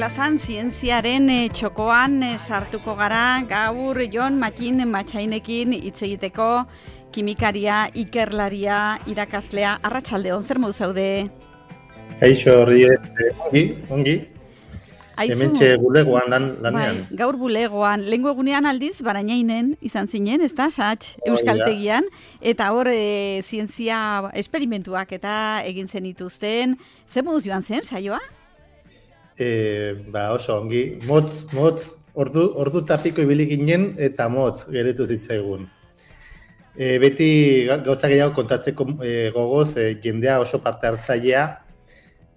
plazan zientziaren txokoan sartuko gara gaur Jon Matin Matxainekin hitz egiteko, kimikaria, ikerlaria, irakaslea. Arratsaldeon, zer modu zaude? Eixo horri, ongi. Hementxe bulegoan lanean. Bai, gaur bulegoan. Lehengo egunean aldiz, Barainainen izan zinen, ez da, Sats, Euskaltegian, eta hor zientzia esperimentuak eta egin zenituzten. Zer moduz joan zen, saioa? Oso ongi. Motz, ordu tapiko ibili ginen eta motz geretu zitzaigun. Beti gauza gehiago kontatzeko gogoz, jendea oso parte hartzailea,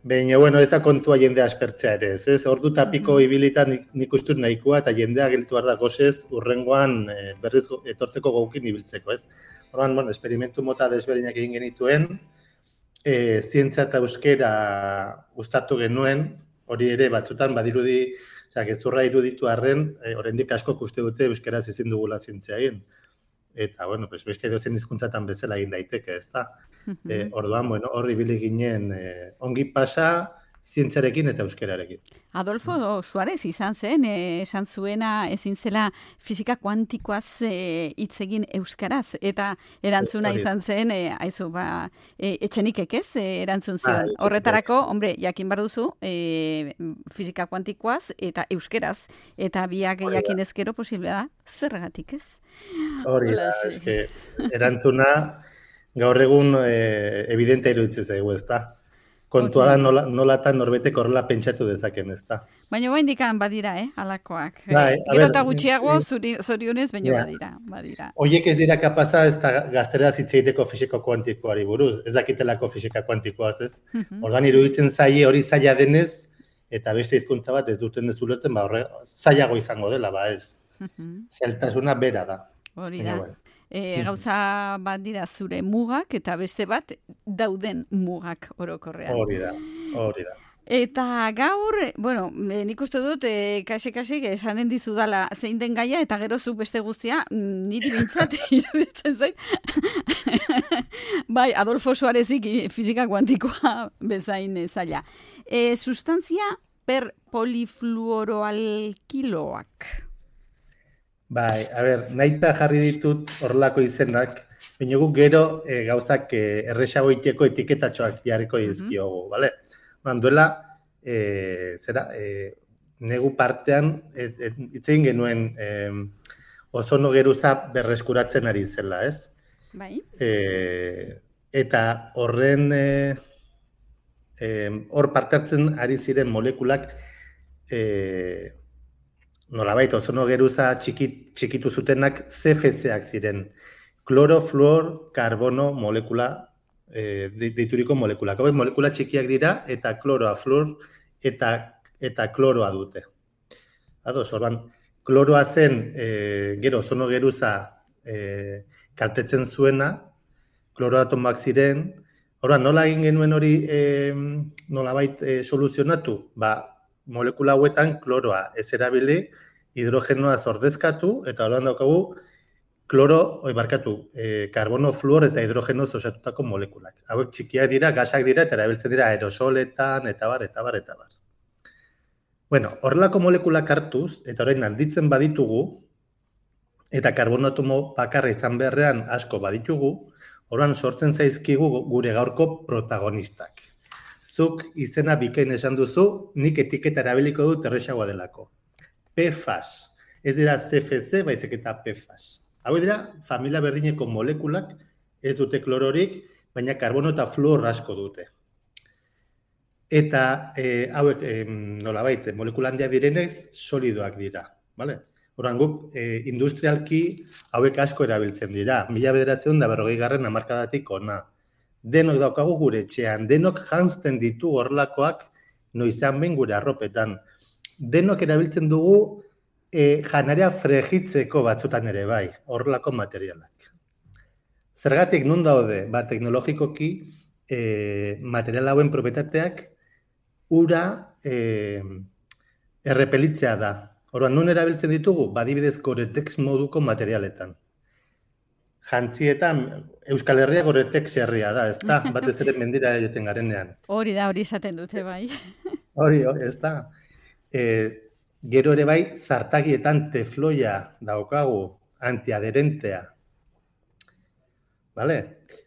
baina, ez da kontua jendea aspertzea ere, ez? Ordu tapiko ibilitan nik ustut nahikoa eta jendea gelditu behar da gozez urrengoan berriz etortzeko gogukin ibiltzeko, ez? Horban, esperimentu mota desberdinak egin genituen, zientzia eta euskera uztartu genuen, hori ere batzutan badirudi, gezurra iruditu arren, oraindik asko uste dute euskeraz ezin dugula zientzia egin. Eta, beste edozein hizkuntzatan bezala egin daiteke, ez da? Orduan, horri ibili ginen ongi pasa, zientziarekin eta euskerarekin. Adolfo Suarez izan zen, esan zuena ezin zela fisika kuantikoaz hitz egin euskaraz, eta erantzuna izan zen, etxenikek ez, erantzun zion. Horretarako, jakin behar duzu, fisika kuantikoaz eta euskeraz, eta biak jakin ezkero posible da, zergatik ez? Hori da, erantzuna gaur egun evidentea iruditzen zaigu, ez da? Kontua da nolatan norbetek horrela pentsatu dezaken, ez da? Baina indikan badira, halakoak. Gero eta gutxiago zorionez, baina badira. Oiek ez dira kapaza ez da gazteraz hitz egiteko fisika kuantikoari buruz, ez dakitelako fisika kuantikoaz, ez? Ordan iruditzen zaie hori zaila denez, eta beste hizkuntza bat ez duten ez ulertzen, zailago izango dela, ez? Zailtasuna bera da. Hori da. Gauza bat dira zure mugak eta beste bat dauden mugak orokorrean. Hori da. Eta gaur, nik uste dut, kasik esanen dizudala zein den gaia, eta gero zuk beste guztia, niri bintzat iruditzen zait. Bai, Adolfo Suarezik fisika kuantikoa bezain zaila. Sustantzia per polifluoroalkiloak. Bai, nahita jarri ditut horrelako izenak, baina guk gero gauzak erresago iteko etiketatxoak jarriko dizkiogu, bale? Duela, negu partean, itzein genuen ozono geruza berreskuratzen ari zela, ez? Bai. Eta horren, hor parte hartzen ari ziren molekulak, nolabait, ozono geruza txikitu zutenak CFC-ak ziren. Kloro, fluor, karbono molekula, deituriko molekulak. Hauek molekula txikiak dira, eta kloroa, fluor, eta kloroa dute. Ados, orban, kloroa zen, gero ozono geruza kaltetzen zuena, kloroatomoak ziren. Orban, nola egin genuen hori nolabait soluzionatu? Molekula hauetan kloroa ez erabili, hidrogenoa ordezkatu, eta horrean daukagu karbono, fluor eta hidrogenoz osatutako molekulak. Hauek txikiak dira, gasak dira, eta erabiltzen dira aerosoletan, eta bar. Horrelako molekulak hartuz, eta orain handitzen baditugu, eta karbono atomo bakarra izan beharrean asko baditugu, horrean sortzen zaizkigu gure gaurko protagonistak. Zuk izena bikain esan duzu, nik etiketa erabiliko dut erresagoa delako. PFAS. Ez dira CFC, baizik eta PFAS. Hau dira, familia berdineko molekulak ez dute klororik, baina karbono eta fluor asko dute. Eta hauek, nolabait, molekula handiak direnez, solidoak dira. Horren guk, industrialki hauek asko erabiltzen dira. 1940 hamarkadatik ona. Denok daukagu gure etxean, denok janzten ditu horrelakoak noizan behin gure arropetan. Denok erabiltzen dugu janaria fregitzeko batzutan ere bai, horrelako materialak. Zergatik nun daude, teknologikoki material hauen propietateak ura errepelitzea da. Orduan, nun erabiltzen ditugu? Adibidez Goretex moduko materialetan. Jantzietan, Euskal Herria Goretex herria da, ez da? Batez ere mendira joten garenean. Hori da, hori esaten dute, bai. Hori, ez da. gero ere bai, zartagietan tefloia daukagu, antiaderentea. Vale?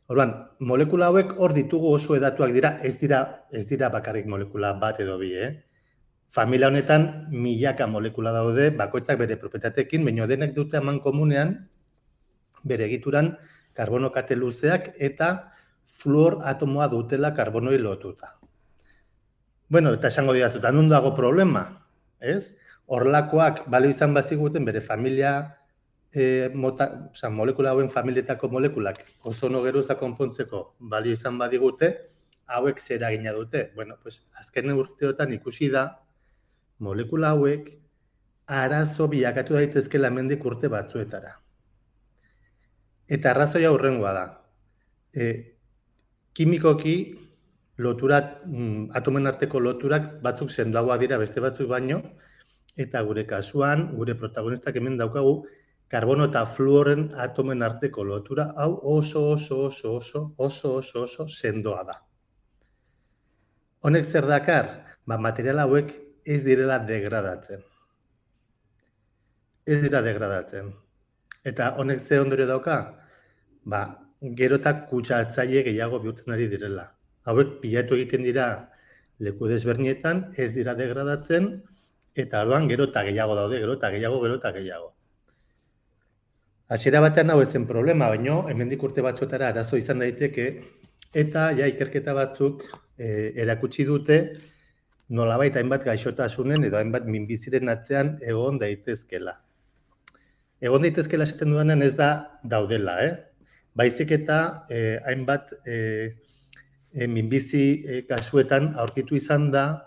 Orduan, molekula hauek hor ditugu oso hedatuak dira, ez dira bakarrik molekula bat edo bi, Familia honetan milaka molekula daude, bakoitzak bere propietateekin, baina denek dute eman komunean, bere egituran karbono kate luzeak eta fluor atomoa dutela karbonoi lotuta. Bueno, eta esango didazu, eta non dago problema, ez? Horlakoak balio izan baziguten bere familia molekula hauen familietako molekulak ozono geruza konpontzeko balio izan badigute, hauek zer eragina dute. Bueno, pues azken urteotan ikusi da molekula hauek arazo bilakatu daitezkela hemendik urte batzuetara. Eta arrazoia hurrengoa da. Kimikoki loturak, atomen arteko loturak batzuk sendoagoak dira beste batzuk baino, eta gure kasuan, gure protagonistak hemen daukagu, karbono eta fluoren atomen arteko lotura hau oso sendoa da. Honek zer dakar? Material hauek ez direla degradatzen. Ez dira degradatzen. Eta honek ze ondorio dauka? Gero eta kutsatzaile gehiago bihurtzen ari direla. Hauek pilatu egiten dira leku desbernietan, ez dira degradatzen, eta orduan gero eta gehiago daude, gero eta gehiago. Hasiera batean hau ezen problema, baino hemendik urte batzuetara arazo izan daiteke, eta ikerketa batzuk erakutsi dute nolabait hainbat gaixotasunen edo hainbat minbiziren atzean egon daitezkela. Egon daitezkela esaten dudanean ez da daudela, Baizik eta hainbat minbizi kasuetan aurkitu izan da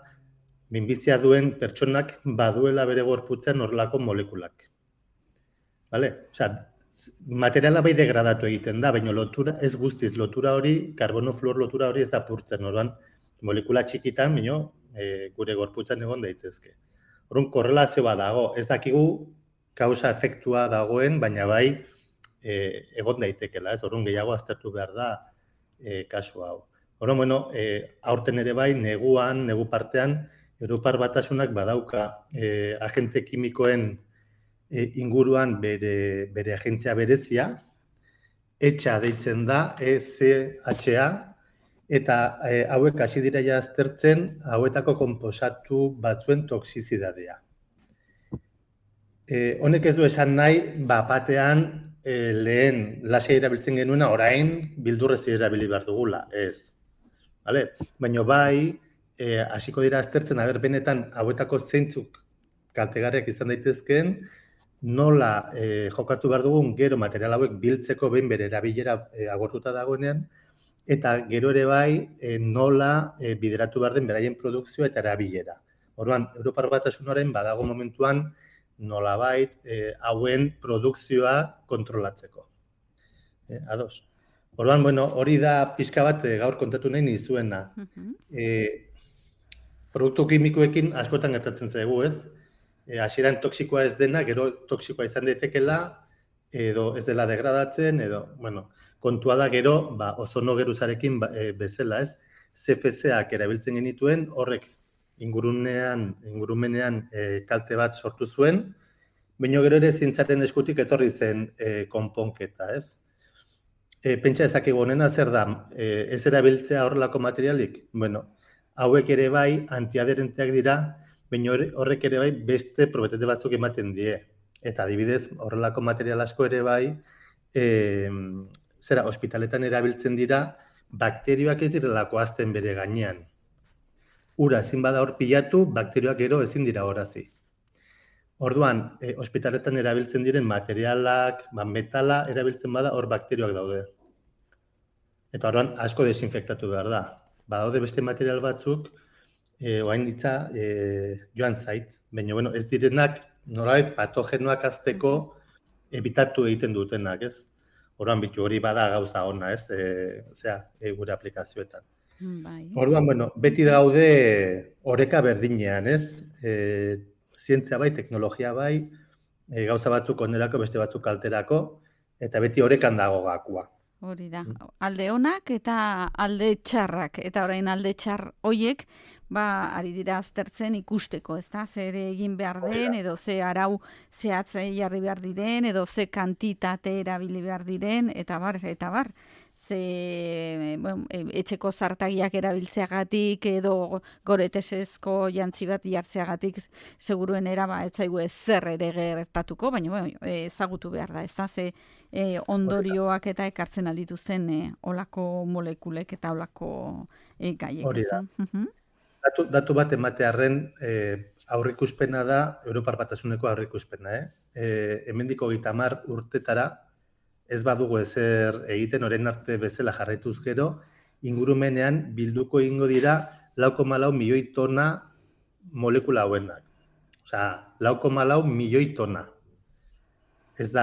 minbizia duen pertsonak baduela bere gorputzean horrelako molekulak. Vale? Materiala bai degradatu egiten da, baina lotura ez guztiz lotura hori, karbono-fluor lotura hori ez da purtzen, orduan molekula txikitan, baina gure gorputzan egon daitezke. Orduan korrelazio bat dago, ez dakigu kausa efektua dagoen, baina bai egon daitekela, orduan gehiago aztertu behar da kasu hau. Orduan, aurten ere bai, negu partean, Europar Batasunak badauka agente kimikoen inguruan bere agentzia berezia, ECHA deitzen da, ECHA, eta hauek hasi dira aztertzen hauetako konposatu batzuen toxizidadea. Honek ez du esan nahi, batean lehen lasai erabiltzen genuena, orain bildurrez erabili behar dugula, ez. Baina bai, hasiko dira aztertzen, benetan hauetako zeintzuk kaltegarriak izan daitezkeen, nola jokatu behar dugun gero material hauek biltzeko behin bere erabilera agortuta dagoenean, eta gero ere bai nola bideratu behar den beraien produkzioa eta erabilera. Orduan, Europar Batasunaren badago momentuan nolabait hauen produkzioa kontrolatzeko. Ados. Orduan, hori da pixka bat gaur kontatu nahi nizuena. Produktu kimikoekin askotan gertatzen zaigu, ez? Hasieran toxikoa ez dena, gero toxikoa izan daitekela, edo ez dela degradatzen, edo, kontua da gero, ozono geruzarekin bezala, ez? CFC-ak erabiltzen genituen, horrek ingurumenean kalte bat sortu zuen, baina gero ere zientzaren eskutik etorri zen konponketa, ez? Pentsa ezakegu honena zer da, ez erabiltzea horrelako materialik? Hauek ere bai antiaderenteak dira, baina horrek ere bai beste probetate batzuk ematen die. Eta adibidez, horrelako material asko ere bai, ospitaletan erabiltzen dira, bakterioak ez direlako azten bere gainean. Ura ezin bada hor pilatu, bakterioak gero ezin dira horazi. Orduan, ospitaletan erabiltzen diren materialak, metala erabiltzen bada, hor bakterioak daude. Eta orduan, asko desinfektatu behar da. Badaude beste material batzuk, oain ditza joan zait, baina ez direnak nolabait patogenoak azteko ebitatu egiten dutenak, ez? Orduan bitu hori bada gauza ona, ez? Gure aplikazioetan. Orduan, beti daude oreka berdinean, ez? Zientzia bai, teknologia bai, gauza batzuk onerako, beste batzuk kalterako, eta beti orekan dago gakua. Hori da, alde onak eta alde txarrak, eta orain alde txar hoiek, ari dira aztertzen ikusteko, ezta? Zer egin behar den, edo ze arau zehatzei jarri behar diren, edo ze kantitate erabili behar diren, eta bar. Etxeko zartagiak erabiltzeagatik, edo goretesezko jantzi bat jartzeagatik, seguruenera ez zaigu zer ere gertatuko, baina ezagutu behar da, ezta? Ze ondorioak eta ekartzen aldituzten olako molekulek eta olako gaiek. Hori da. Datu bat ematearren aurrikuspena da, Europar Batasuneko aurrikuspena. Hemendiko 30 urtetara, ez badugu ezer egiten, orain arte bezala jarraituz gero, ingurumenean bilduko egingo dira 4,4 milioi tona molekula hauenak. Osea, 4,4 milioi tona. Ez da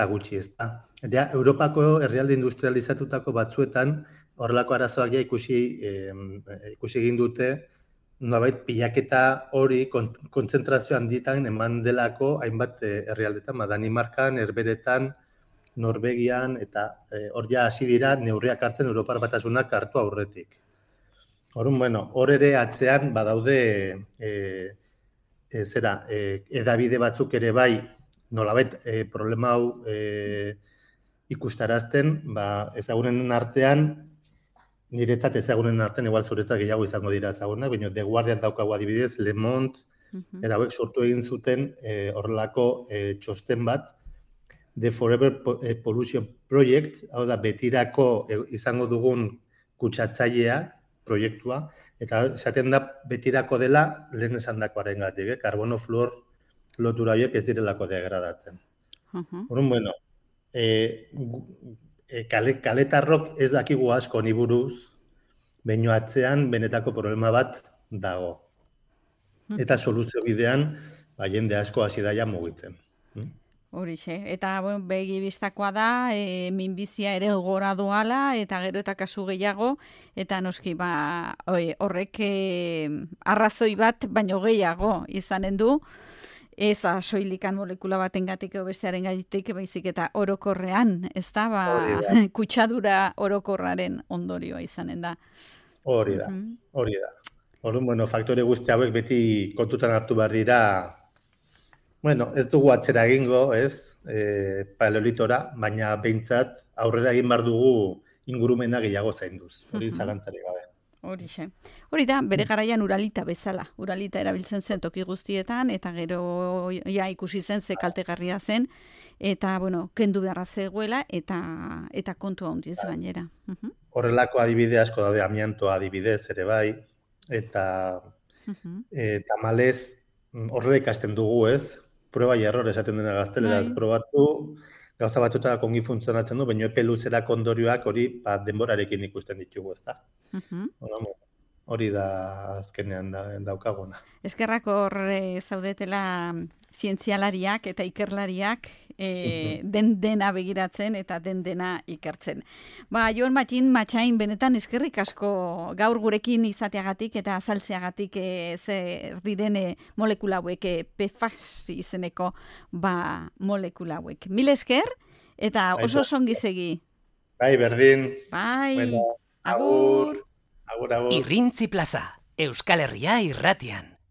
gutxi, ez da. Ja, Europako herrialde industrializatutako batzuetan horrelako arazoak ja ikusi egin dute, nolabait pilaketa hori kontzentrazio handietan eman delako hainbat herrialdetan, Danimarkan, Herberetan, Norvegian, eta hor ja hasi dira neurriak hartzen Europar Batasunak hartu aurretik. Hor ere atzean badaude edabide batzuk ere bai, nolabait problema hau ikustarazten, ezagunen artean, niretzat ezagunen artean, igual zuretzat gehiago izango dira ezagunak, baina The Guardian daukagu adibidez, Le Monde, eta hauek sortu egin zuten horrelako txosten bat, The Forever Pollution Project, hau da betirako izango dugun kutsatzailea proiektua, eta esaten da betirako dela lehen esandakoaren gatik, karbono fluor lotura horiek ez direlako degradatzen. Kaletarrok ez dakigu asko honi buruz, baino atzean benetako problema bat dago. Eta soluzio bidean, jende asko hasi daia mugitzen. Horixe, eta begi bistakoa da, minbizia ere gora doala, eta gero eta kasu gehiago, eta noski horrek arrazoi bat, baino gehiago izanen du, ez soilikan molekula batengatik edo bestearen gaitik, baizik eta orokorrean, ez da, kutsadura orokorraren ondorioa izanen da. Hori da. Faktore guzti hauek beti kontutan hartu behar dira, ez dugu atzera egingo, paleolitora, baina behintzat aurrera egin behar dugu ingurumena gehiago zainduz, hori zalantzarik gabe. Hori da, bere garaian uralita bezala. Uralita erabiltzen zen toki guztietan, eta gero ikusi zen ze kaltegarria zen, eta, kendu beharra zegoela, eta kontua handiz gainera. Horrelako adibide asko daude, amiantoa adibidez ere bai, eta tamalez horrela ikasten dugu, proba y error esaten dena gazteleraz probatu, gauza batzuetara kongi funtzionatzen du, baina epe luzerako ondorioak hori denborarekin ikusten ditugu, ezta? Hori da azkenean daukaguna. Eskerrak hor zaudetela zientzialariak eta ikerlariak dena begiratzen eta dena ikertzen. Jon Matxain, benetan eskerrik asko gaur gurekin izateagatik eta azaltzeagatik zer diren molekula hauek, PFAS izeneko molekula hauek. Mil esker eta oso songi segi. Bai, berdin. Bai, agur. Agur. Irrintzi Plaza, Euskal Herria irratian.